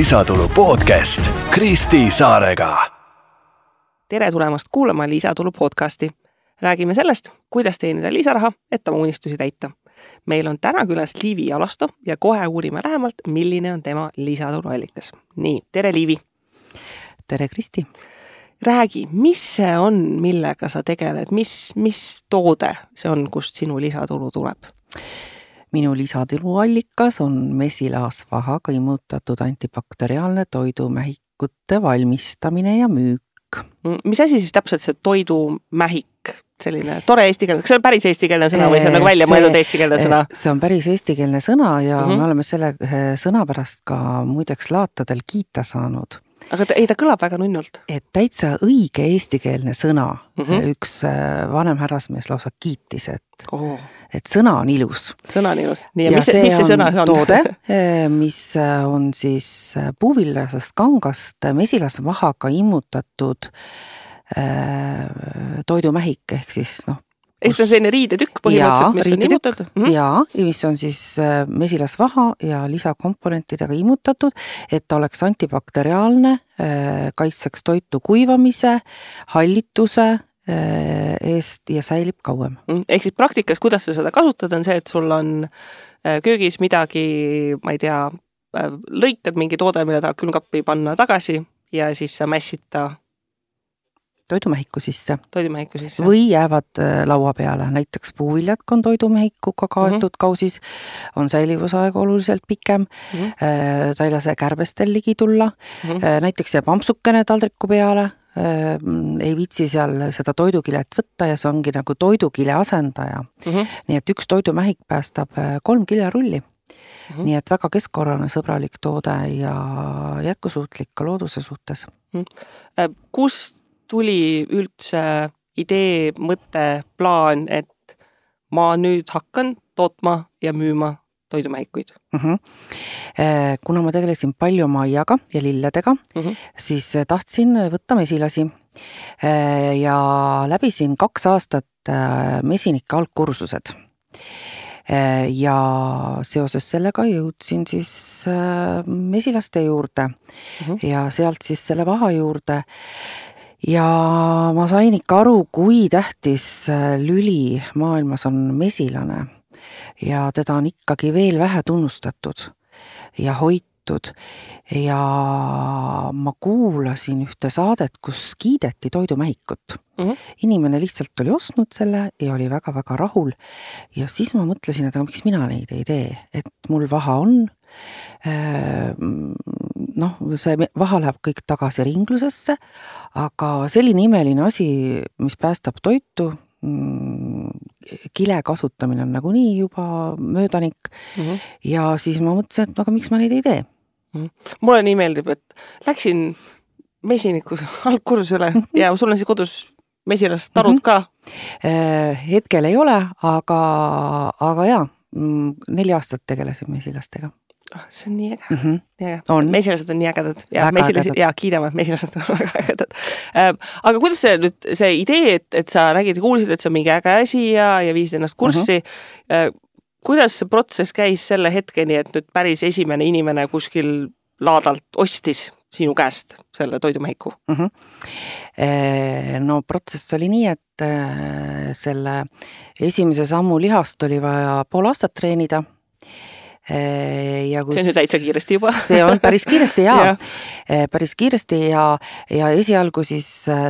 Lisatulu podcast Kristi Saarega. Tere tulemast kuulama Lisatulu podcasti. Räägime sellest, kuidas teenida lisaraha, et oma unistusi täita. Meil on täna külas Liivi Alasto ja kohe uurime lähemalt, milline on tema lisatulu allikas. Nii, tere Liivi! Tere Kristi! Räägi, mis see on, millega sa tegeled? Mis toode see on, kust sinu lisatulu tuleb? Minu lisatuluallikas on mesilasvahaga imutatud antibakteriaalne toidumähikute valmistamine ja müük. Mis asi siis täpselt see toidumähik? Selline tore eestikeelne, kas see on päris eestikeelne sõna või see on nagu välja mõeldud eestikeelne sõna? See on päris eestikeelne sõna ja me oleme selle sõna pärast ka muideks laatadel kiita saanud. Aga ta kõlab väga nunnult. Et täitsa õige eestikeelne sõna. Üks vanem härrasmees lausa kiitis, et sõna on ilus. Sõna on ilus. Nii, ja mis see sõna on? Toode, mis on siis puuvillasest kangast mesilasvahaga immutatud toidumähik ehk siis Ehk on selline riidetükk põhimõtteliselt, mis on immutatud? Jaa, mis on siis mesilasvaha ja lisakomponentidega immutatud, et ta oleks antibakteriaalne, kaitseks toitu kuivamise, hallituse eest ja säilib kauem. Ehk siis praktikas, kuidas sa seda kasutad, on see, et sul on köögis midagi, ma ei tea, lõikad mingi toode, mille tahad külmkappi panna tagasi ja siis sa mässid ta toidumähiku sisse. Või jäävad laua peale. Näiteks puuviljad on toidumehikuga kaetud kausis, on säilivusaeg oluliselt pikem, ta ei lase kärbestel ligi tulla, näiteks jääb ampsukene taldriku peale, ei viitsi seal seda toidukilet võtta ja see ongi nagu toidukile asendaja. Nii et üks toidumähik päästab 3 kiljarulli. Nii et väga keskkonnale sõbralik toode ja jätkusuutlik ka looduse suhtes. Kust tuli üldse idee, mõte, plaan, et ma nüüd hakkan tootma ja müüma toidumähikuid? Kuna ma tegelesin palju maiaga ja lilledega, siis tahtsin võtta mesilasi ja läbisin 2 aastat mesinike algkursused. Ja seoses sellega jõudsin siis mesilaste juurde ja sealt siis selle vaha juurde. Ja ma sain ikka aru, kui tähtis lüli maailmas on mesilane ja teda on ikkagi veel vähe tunnustatud ja hoitud ja ma kuulasin ühte saadet, kus kiideti toidumähikut. Inimene lihtsalt oli ostnud selle ja oli väga-väga rahul ja siis ma mõtlesin, et miks mina neid ei tee, et mul vaha on, see vaha läheb kõik tagasi ringlusesse, aga selline imeline asi, mis päästab toitu, kile kasutamine on nagunii juba möödanik ja siis ma mõtlesin, et aga miks ma neid ei tee. Mulle nii meeldib, et läksin mesiniku algkursusele ja sul on siis kodus mesilast tarud ka? Hetkel ei ole, aga jaa, 4 aastat tegelesin mesilastega. See on nii äge. Mesilased on nii ägedad. Ja kiidame, mesilased on väga ägedad. Aga kuidas see idee, et sa räägid ja kuulsid, et see on mingi äge asi ja viisid ennast kurssi, kuidas see protsess käis selle hetkeni, et nüüd päris esimene inimene kuskil laadalt ostis sinu käest selle toidumähiku? No protsess oli nii, et selle esimese sammu lihast oli vaja 5 aastat treenida. See on nüüd täitsa kiiresti juba. See on päris kiiresti päris kiiresti ja esialgu siis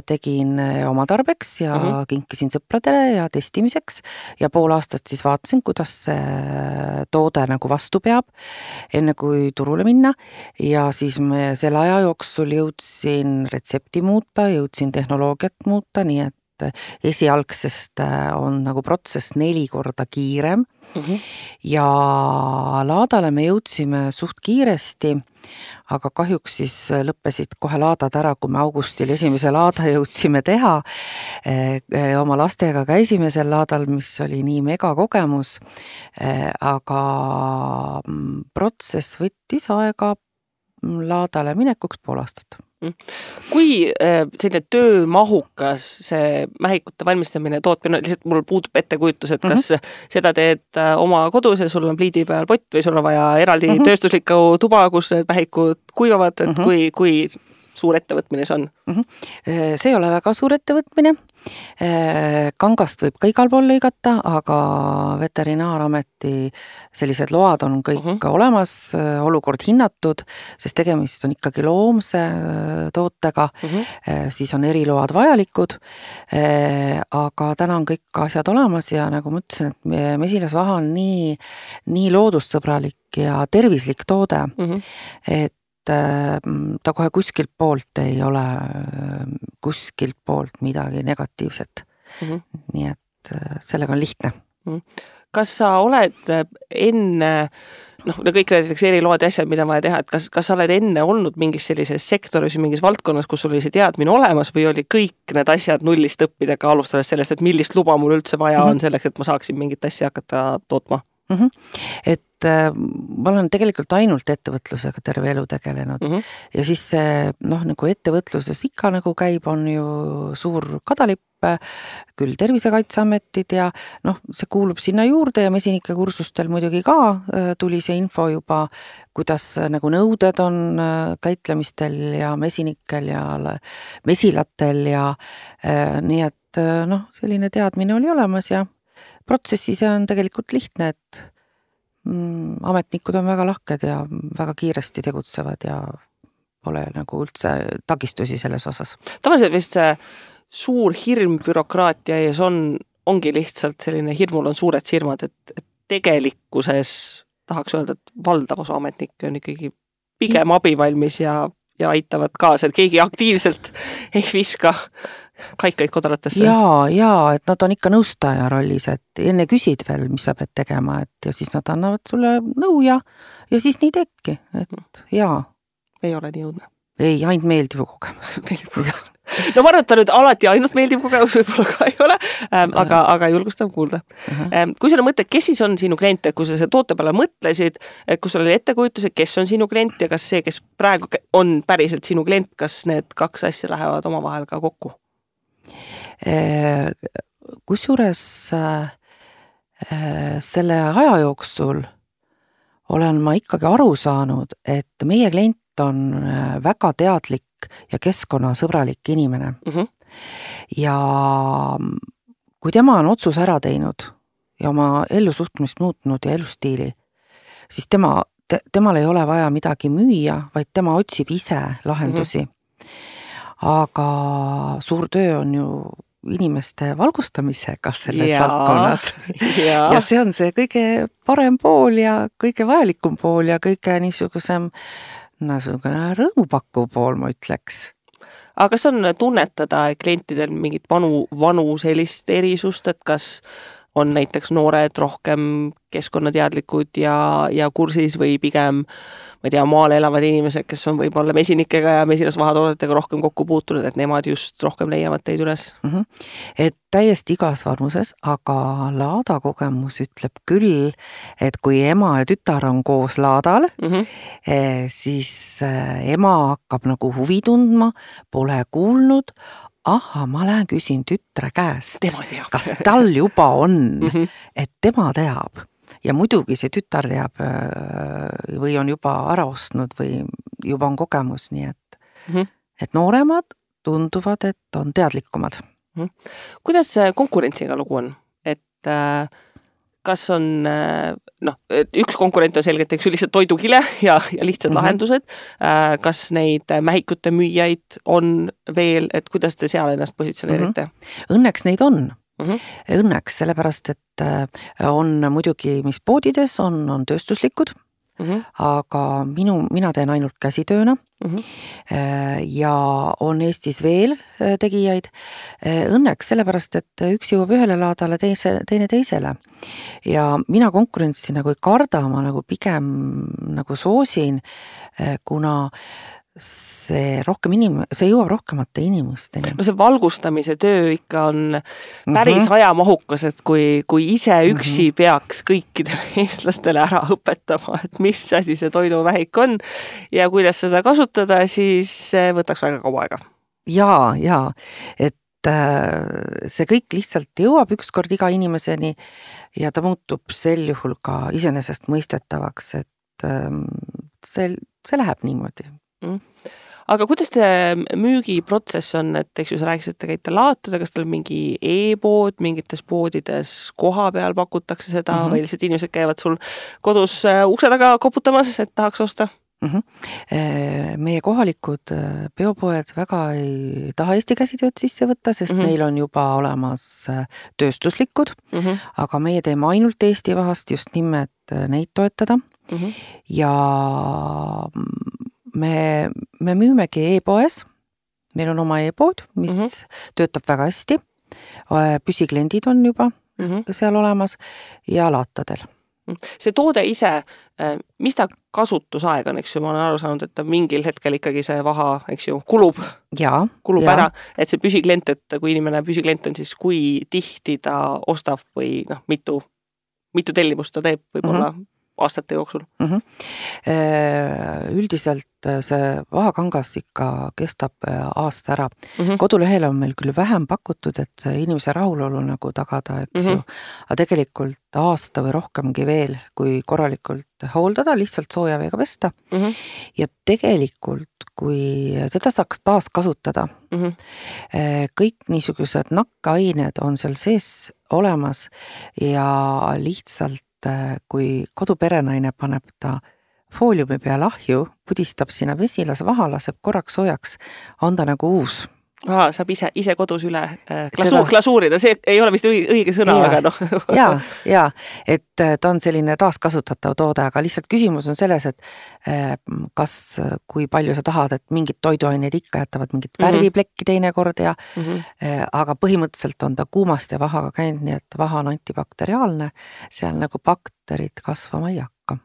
tegin oma tarbeks ja kinkisin sõpradele ja testimiseks ja 5 aastat siis vaatasin, kuidas see toode nagu vastu peab, enne kui turule minna ja siis me selle aja jooksul jõudsin retsepti muuta, jõudsin tehnoloogiat muuta, nii et esialgsest on nagu protsess 4 korda kiirem ja laadale me jõudsime suht kiiresti, aga kahjuks siis lõppesid kohe laadad ära, kui me augustil esimese laada jõudsime teha. Oma lastega käisime sel laadal, mis oli nii mega kogemus, aga protsess võttis aega laadale minekuks 5 aastat. Kui selline töömahukas see mähikute valmistamine, tootmine, lihtsalt mul puudub ettekujutus, et kas seda teed oma kodus ja sul on pliidi peal pott või sul on vaja eraldi tööstuslikku tuba, kus need mähikud kuivavad, et kui suur ettevõtmine see on? See ei ole väga suur ettevõtmine. Kangast võib ka igal pool lõigata, aga Veterinaarameti sellised load on kõik olemas, olukord hinnatud, sest tegemist on ikkagi loomse tootega, siis on eriload vajalikud, aga täna on kõik asjad olemas ja nagu ma ütlesin, et mesilasvaha on nii loodussõbralik ja tervislik toode, et ta kohe kuskilt poolt ei ole kuskilt poolt midagi negatiivset. Nii et sellega on lihtne. Kas sa oled enne, kõik näiteks eriload ja asjad, mida on vaja teha, et kas sa oled enne olnud mingis sellises sektoris või mingis valdkonnas, kus sul oli see teadmine olemas või oli kõik need asjad nullist õppidega alustades sellest, et millist luba mul üldse vaja on selleks, et ma saaksin mingit asja hakata tootma? Et ma olen tegelikult ainult ettevõtlusega terve elu tegelenud ja siis see, nagu ettevõtluses ikka nagu käib, on ju suur kadalipp, küll Tervisekaitseametid ja see kuulub sinna juurde ja mesinike kursustel muidugi ka tuli see info juba, kuidas nagu nõuded on käitlemistel ja mesinikel ja mesilatel ja nii et selline teadmine oli olemas ja protsessi see on tegelikult lihtne, et ametnikud on väga lahked ja väga kiiresti tegutsevad ja pole nagu üldse takistusi selles osas. Tavaliselt vist see suur hirm bürokraatia ees ongi lihtsalt selline, hirmul on suured silmad, et tegelikkuses tahaks öelda, et valdav osa ametnikke on ikkagi pigem abivalmis ja aitavad kaasa, et keegi aktiivselt ei viska kaikaid kodaratesse. Ja, et nad on ikka nõustaja rollis, et enne küsid veel, mis sa pead tegema, et ja siis nad annavad sulle nõu ja siis nii teedki, et jaa. Ei ole nii õudne. Ei, ainult meeldiv kogemus. No ma arvan, et ta nüüd alati ainult meeldiv kogemus võib-olla ka ei ole, aga julgustav kuulda. Kui sul on mõte, kes siis on sinu klient, et kui sa see toote peale mõtlesid, et kui sul oli ettekujutus, et kes on sinu klient ja kas see, kes praegu on päriselt sinu klient, kas need kaks asja lähevad omavahel ka kokku? Kusjuures selle aja jooksul olen ma ikkagi aru saanud, et meie klient on väga teadlik ja keskkonnasõbralik inimene. Ja kui tema on otsus ära teinud ja oma ellusuhtumist muutnud ja elustiili, siis temal ei ole vaja midagi müüa, vaid tema otsib ise lahendusi. Aga suur töö on ju inimeste valgustamisega selles valdkonnas. Ja see on see kõige parem pool ja kõige vajalikum pool ja kõige niisugusem rõõmupakkuv pool, ma ütleks. Aga kas on tunnetada klientidel mingit vanu sellist erisust, et kas on näiteks noored rohkem keskkonnateadlikud ja kursis või pigem, ma ei tea, maal elavad inimesed, kes on võib-olla mesinikega ja mesilasvahatoodetega rohkem kokku puutunud, et nemad just rohkem leiavad teid üles? Et täiesti igas vanuses, aga laada kogemus ütleb küll, et kui ema ja tütar on koos laadal, siis ema hakkab nagu huvi tundma, pole kuulnud, ma lähen küsin tütre käest, kas tal juba on, et tema teab. Ja muidugi see tütar teab või on juba ära ostnud või juba on kogemus, nii et nooremad tunduvad, et on teadlikumad. Kuidas konkurentsiga lugu on? Et kas on, üks konkurent on selgelt lihtsalt toidukile ja lihtsad lahendused. Kas neid mähikute müüjaid on veel, et kuidas te seal ennast positsioneerite? Õnneks neid on. Õnneks, sellepärast, et on muidugi, mis poodides on tööstuslikud, aga mina teen ainult käsitööna ja on Eestis veel tegijaid. Õnneks sellepärast, et üks jõuab ühele laadale, teine teisele. Ja mina konkurentsi nagu ei karda, ma nagu pigem nagu soosin, kuna see jõuab rohkemate inimesteni. No see valgustamise töö ikka on päris ajamahukas, et kui ise üksi peaks kõikidele eestlastele ära õpetama, et mis asi see toiduvähik on ja kuidas seda kasutada, siis see võtaks väga kaua aega. Ja, et see kõik lihtsalt jõuab ükskord iga inimeseni ja ta muutub sel juhul ka iseenesest mõistetavaks, et see läheb niimoodi. Aga kuidas see müügiprotsess on, et eks ju sa rääkisid, et te käite laotada, kas teil mingi e-pood, mingites poodides koha peal pakutakse seda või lihtsalt inimesed käivad sul kodus ukse taga koputamas, et tahaks osta? Meie kohalikud biopoed väga ei taha Eesti käsitööd sisse võtta, sest neil on juba olemas tööstuslikud, aga meie teeme ainult Eesti vahast just nimelt neid toetada ja me müümegi e-poes, meil on oma e-pood, mis töötab väga hästi, püsikliendid on juba seal olemas ja laatadel. See toode ise, mis ta kasutusaeg on, eks ju, ma olen aru saanud, et mingil hetkel ikkagi see vaha, eks ju, kulub ära, et see püsiklient, et kui inimene püsiklient on, siis kui tihti ta ostab või mitu tellimust ta teeb võib-olla aastate jooksul? Üldiselt see vahakangas ikka kestab aasta ära. Kodulehel on meil küll vähem pakutud, et inimese rahulolu nagu tagada, eks ju, aga tegelikult aasta või rohkemgi veel, kui korralikult hooldada, lihtsalt sooja veega pesta. Ja tegelikult, kui seda saaks taas kasutada, kõik niisugused nakkained on seal sees olemas ja lihtsalt kui koduperenaine paneb ta fooliumi peal ahju, pudistab sinna vesilas vaha, laseb korraks soojaks, on ta nagu uus. Saab ise kodus üle glasuurida, see ei ole vist õige sõna, aga noh. Ja, et ta on selline taaskasutatav toode, aga lihtsalt küsimus on selles, et kui palju sa tahad, et mingid toiduaineid ikka jätavad mingit värviplekki teinekord aga põhimõtteliselt on ta kuumast ja vahaga käinud, nii et vaha on antibakteriaalne, seal nagu bakterid kasvama ei hakka.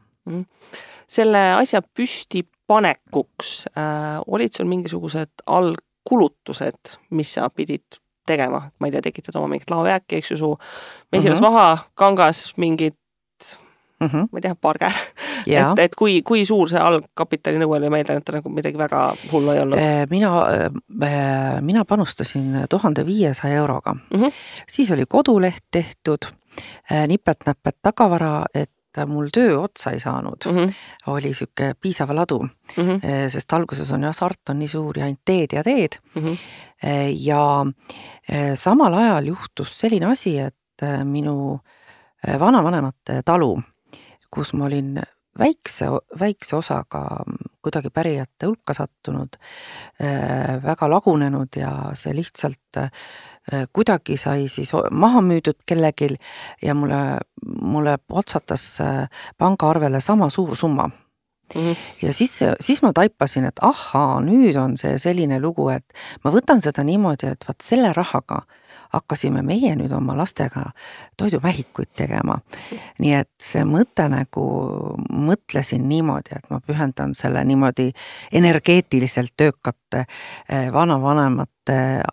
Selle asja püsti panekuks olid sul mingisugused kulutused, mis sa pidid tegema, ma ei tea, tekitad oma mingit laojääki, eks ju, su mesilasvaha, kangas, mingid, ma ei tea, parger. Et kui suur see algkapitali nõue oli, ma eeldan, et ta nagu midagi väga hullu ei olnud? Mina panustasin 1500 euroga. Siis oli koduleht tehtud, nipet-näpet tagavara, et mul töö otsa ei saanud, oli siuke piisava ladu, sest alguses on sart on nii suur ja ainult teed. Ja samal ajal juhtus selline asi, et minu vanavanemate talu, kus ma olin väikse osaga kuidagi pärijate hulka sattunud, väga lagunenud ja see lihtsalt kuidagi sai siis maha müüdud kellegil ja mulle otsatas pangaarvele sama suur summa. Ja siis ma taipasin, et nüüd on see selline lugu, et ma võtan seda niimoodi, et selle rahaga hakkasime meie nüüd oma lastega toiduvähikuid tegema. Nii et see mõte nagu mõtlesin niimoodi, et ma pühendan selle niimoodi energeetiliselt töökate vanavanemate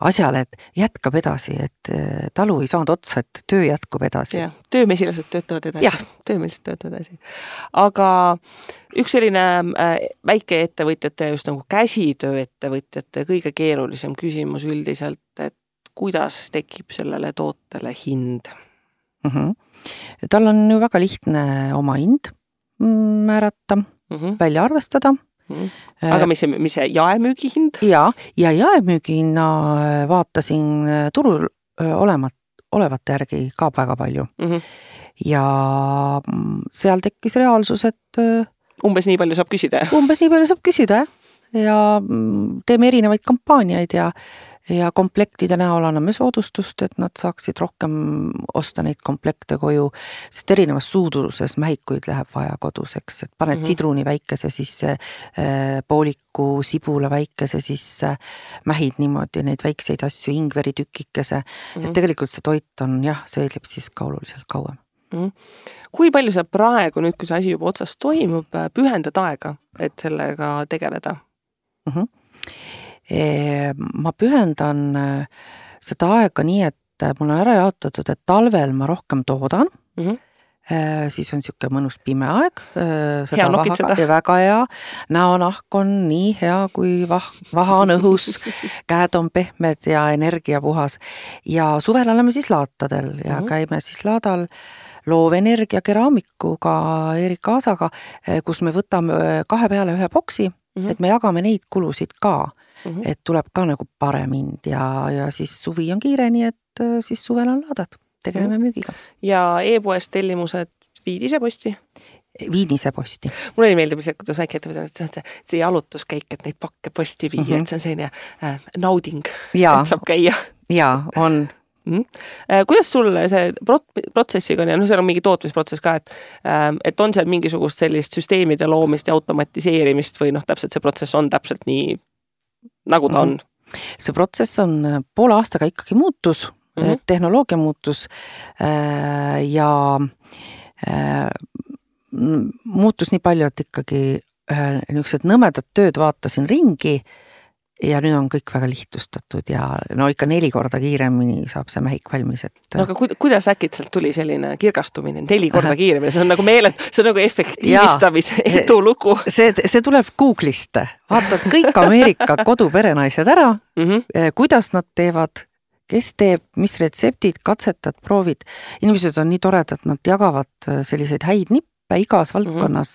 asjale, et jätkab edasi, et talu ei saanud otsa, et töö jätkub edasi. Töömesilased töötavad edasi. Aga üks selline väike ettevõtjate, just nagu käsitöö ettevõtjate kõige keerulisem küsimus üldiselt, et kuidas tekib sellele tootele hind? Tal on ju väga lihtne oma hind määrata, välja arvestada. Aga mis see jaemüügi hind? Ja jaemüügi hinna vaatasin turul olevate järgi ka väga palju. Ja seal tekkis reaalsus, et umbes nii palju saab küsida? Umbes nii palju saab küsida, ja teeme erinevaid kampaaniaid ja komplektide näol anname soodustust, et nad saaksid rohkem osta neid komplekte koju, sest erinevas suuruses mähikuid läheb vaja koduseks, et paned sidruni väikese sisse, pooliku sibula väikese sisse, mähid niimoodi neid väikseid asju, ingveri tükikese, et tegelikult see toit on, seelib siis ka oluliselt kauem. Kui palju sa praegu nüüd, kui see asi juba otsas toimub, pühendad aega, et sellega tegeleda? Ma pühendan seda aega nii, et mul on ära jaotatud, et talvel ma rohkem toodan. Siis on siuke mõnus pime aeg. Hea nokitseda. Väga hea. Näonahk on nii hea, kui vaha on õhus, käed on pehmed ja energia puhas. Ja suvel oleme siis laatadel ja käime siis laadal loovenergia keraamikuga Erik Aasaga, kus me võtame 2 peale 1 boksi, et me jagame neid kulusid ka. Et tuleb ka nagu parem hind ja siis suvi on kiire, nii et siis suvel on laadad. Tegeleme müügiga. Ja e-poest tellimused viid ise posti? Viin ise posti. Mulle ei meeldib see, kuidas väikeettevõte on, et see jalutuskäik, et neid pakke posti viia, et see on selline nauding, et saab käia. Jaa, on. Kuidas sul see protsessiga on, ja see on mingi tootmisprotsess ka, et on seal mingisugust sellist süsteemide loomist ja automatiseerimist või täpselt see protsess on täpselt nii, nagu ta on? See protsess on poole aastaga ikkagi muutus, tehnoloogia muutus ja muutus nii palju, et ikkagi niisugused nõmedad tööd vaatasin ringi ja nüüd on kõik väga lihtsustatud ja ikka 4 korda kiiremini saab see mähik valmis. No aga kuidas äkitselt tuli selline kirgastumine 4 korda kiiremini? See on nagu see on nagu efektiivistamise edulugu. See tuleb Google'ist. Vaatad kõik Ameerika koduperenaised ära, kuidas nad teevad, kes teeb, mis retseptid, katsetad, proovid. Inimesed on nii toredad, nad jagavad selliseid häid nippe igas valdkonnas,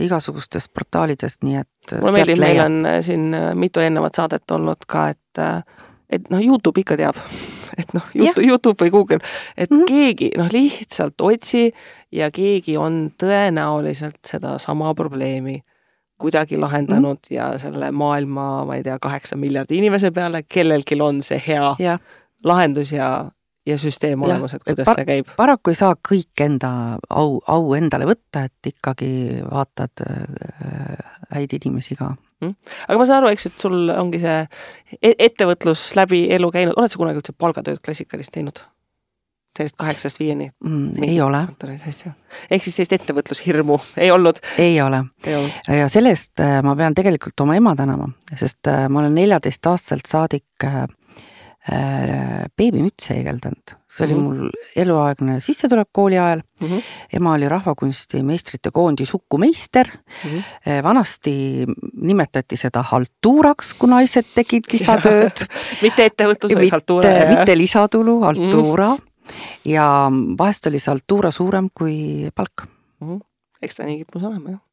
igasugustes portaalidest, nii et mulle meeldib, meil on siin mitu ennevat saadet olnud ka, et YouTube ikka teab, et YouTube või Google, et keegi lihtsalt otsi ja keegi on tõenäoliselt seda sama probleemi kuidagi lahendanud ja selle maailma, ma ei tea, 8 miljardi inimese peale, kellelgi on see hea lahendus ja süsteem olemas, et kuidas see käib. Paraku ei saa kõik enda au endale võtta, et ikkagi vaatad häid inimesi ka. Aga ma saan aru, eks, et sul ongi see ettevõtlus läbi elu käinud. Oled sa kunagi üldse palgatööd klassikalist teinud? Sellist 8-5? Ei ole. Ehk siis sellist ettevõtlushirmu ei olnud? Ei ole. Ja sellest ma pean tegelikult oma ema tänama, sest ma olen 14-aastaselt saadik beebimütse heegeldanud. See oli mul eluaegne sissetulek kooli ajal. Ema oli rahvakunsti meistrite koondi sukumeister. Vanasti nimetati seda haltuuraks, kui naised tegid lisatööd. Mitte ettevõtlus või haltuura? Mitte lisatulu, haltuura. Ja vahest oli see haltuura suurem kui palk. Eks ta nii kipus olema, jah.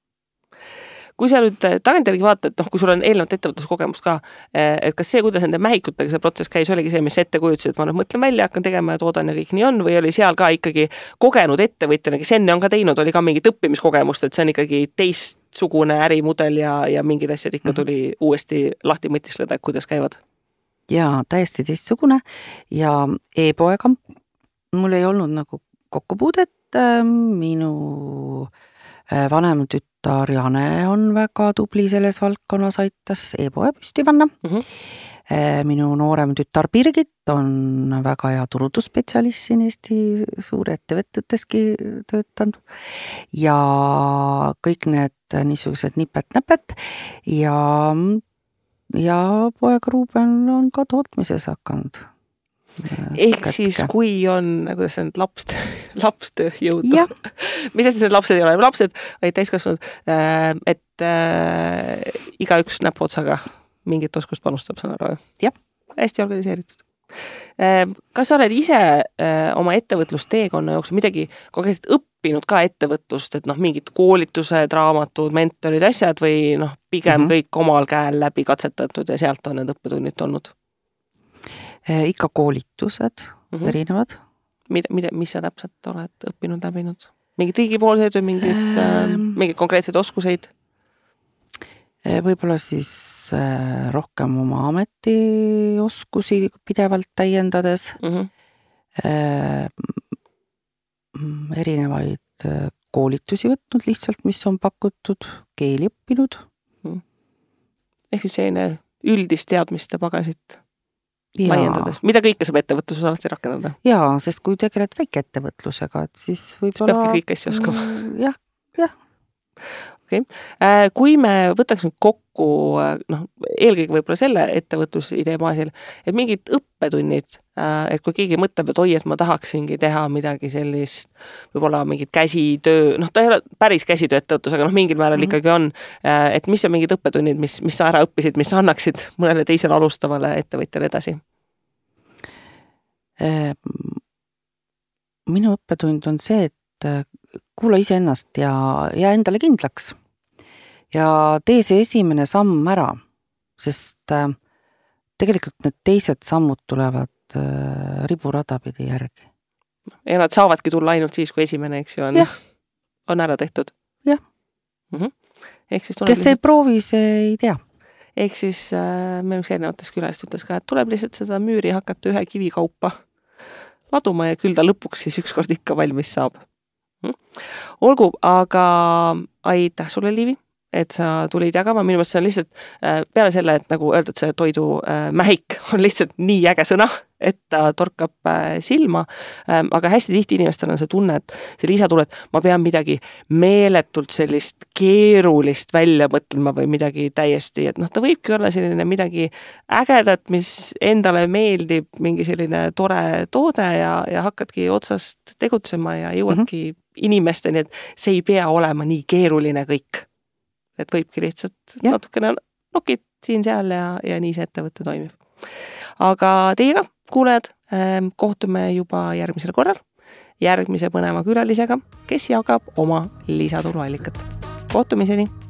Kui sa nüüd tagantjärgi vaatad, kui sul on eelnevat ettevõtluskogemust ka, et kas see, kuidas nende mähikutega see protsess käis, oligi see, mis ette kujutsid, et ma mõtlen välja, hakkan tegema ja toodan ja kõik nii on, või oli seal ka ikkagi kogenud ettevõtjana, kes enne on ka teinud, oli ka mingit õppimiskogemust, et see on ikkagi teistsugune ärimudel ja mingid asjad ikka tuli uuesti lahti mõtisleda, kuidas käivad? Jaa, täiesti teistsugune ja e-poega mul ei olnud nagu kokkupuudet, minu vanem tütar Jane on väga tubli selles valdkonnas, aitas e-poe püsti panna. Minu noorem tütar Birgit on väga hea turundusspetsialist siin Eesti suure ettevõteteski töötanud ja kõik need niisugused nipet-näpet ja poeg Ruuben on ka tootmises hakanud. Ehk siis, kui on, kuidas see on, lapstöö jõudu. Mis asi need lapsed ei ole? Lapsed olid täiskasvanud, et igaüks näpuotsaga mingit oskust panustab, saan aru. Jah. Hästi organiseeritud. Kas sa oled ise oma ettevõtlusteekonna jooksul midagi konkreetselt õppinud ka ettevõtlust, et mingid koolitused, raamatud, mentorid, asjad või pigem kõik omal käel läbi katsetatud ja sealt on need õppetunnid olnud? Ikka koolitused erinevad. Mis sa täpselt oled õppinud, läbinud? Mingid riigipoolsed või mingid konkreetsed oskuseid? Võib-olla siis rohkem oma ametioskusi pidevalt täiendades. Erinevaid koolitusi võtnud lihtsalt, mis on pakutud, keeli õppinud. Ehk siis selline üldist teadmiste pagasit laiendades. Mida kõike saab ettevõtluses alati rakendada? Jaa, sest kui tegeled väikeettevõtlusega, et siis võib-olla... Peabki kõik asja oskama. Jah. Okay. Kui me võtaks nüüd kokku kokku, eelkõige võib-olla selle ettevõtlusidee baasil, et mingid õppetunnid, et kui keegi mõtleb, et et ma tahaksingi teha midagi sellist, võib-olla mingid käsitöö, ta ei ole päris käsitöö ettevõtlus, aga mingil määral ikkagi on, et mis on mingid õppetunnid, mis sa ära õppisid, mis sa annaksid mõnele teisele alustavale ettevõtjale edasi? Minu õppetund on see, et kuula iseennast ja endale kindlaks ja tee see esimene samm ära, sest tegelikult need teised sammud tulevad riburada pidi järgi. Ja nad saavadki tulla ainult siis, kui esimene, eks ju, on ära tehtud. Jah. Kes ei proovi, see ei tea. Ehk siis meil üks erinevates külalist ütles ka, et tuleb lihtsalt seda müüri hakata ühe kivi kaupa laduma ja küll ta lõpuks siis ükskord ikka valmis saab. Olgu, aga aitäh sulle, Liivi, et sa tulid jagama. Minu mõttes see on lihtsalt peale selle, et nagu öeldud, see toidu mähik on lihtsalt nii äge sõna, et ta torkab silma, aga hästi tihti inimestel on see tunne, et see lisatunne, et ma pean midagi meeletult sellist keerulist välja mõtlema või midagi täiesti, et ta võibki olla selline midagi ägedat, mis endale meeldib, mingi selline tore toode ja hakkadki otsast tegutsema ja jõuadki inimesteni, et see ei pea olema nii keeruline kõik. Et võibki lihtsalt natukene nokid siin-seal ja nii see ettevõte toimib. Aga teiega, kuulejad, kohtume juba järgmisel korral, järgmise põneva külalisega, kes jagab oma lisatuluallikat. Kohtumiseni!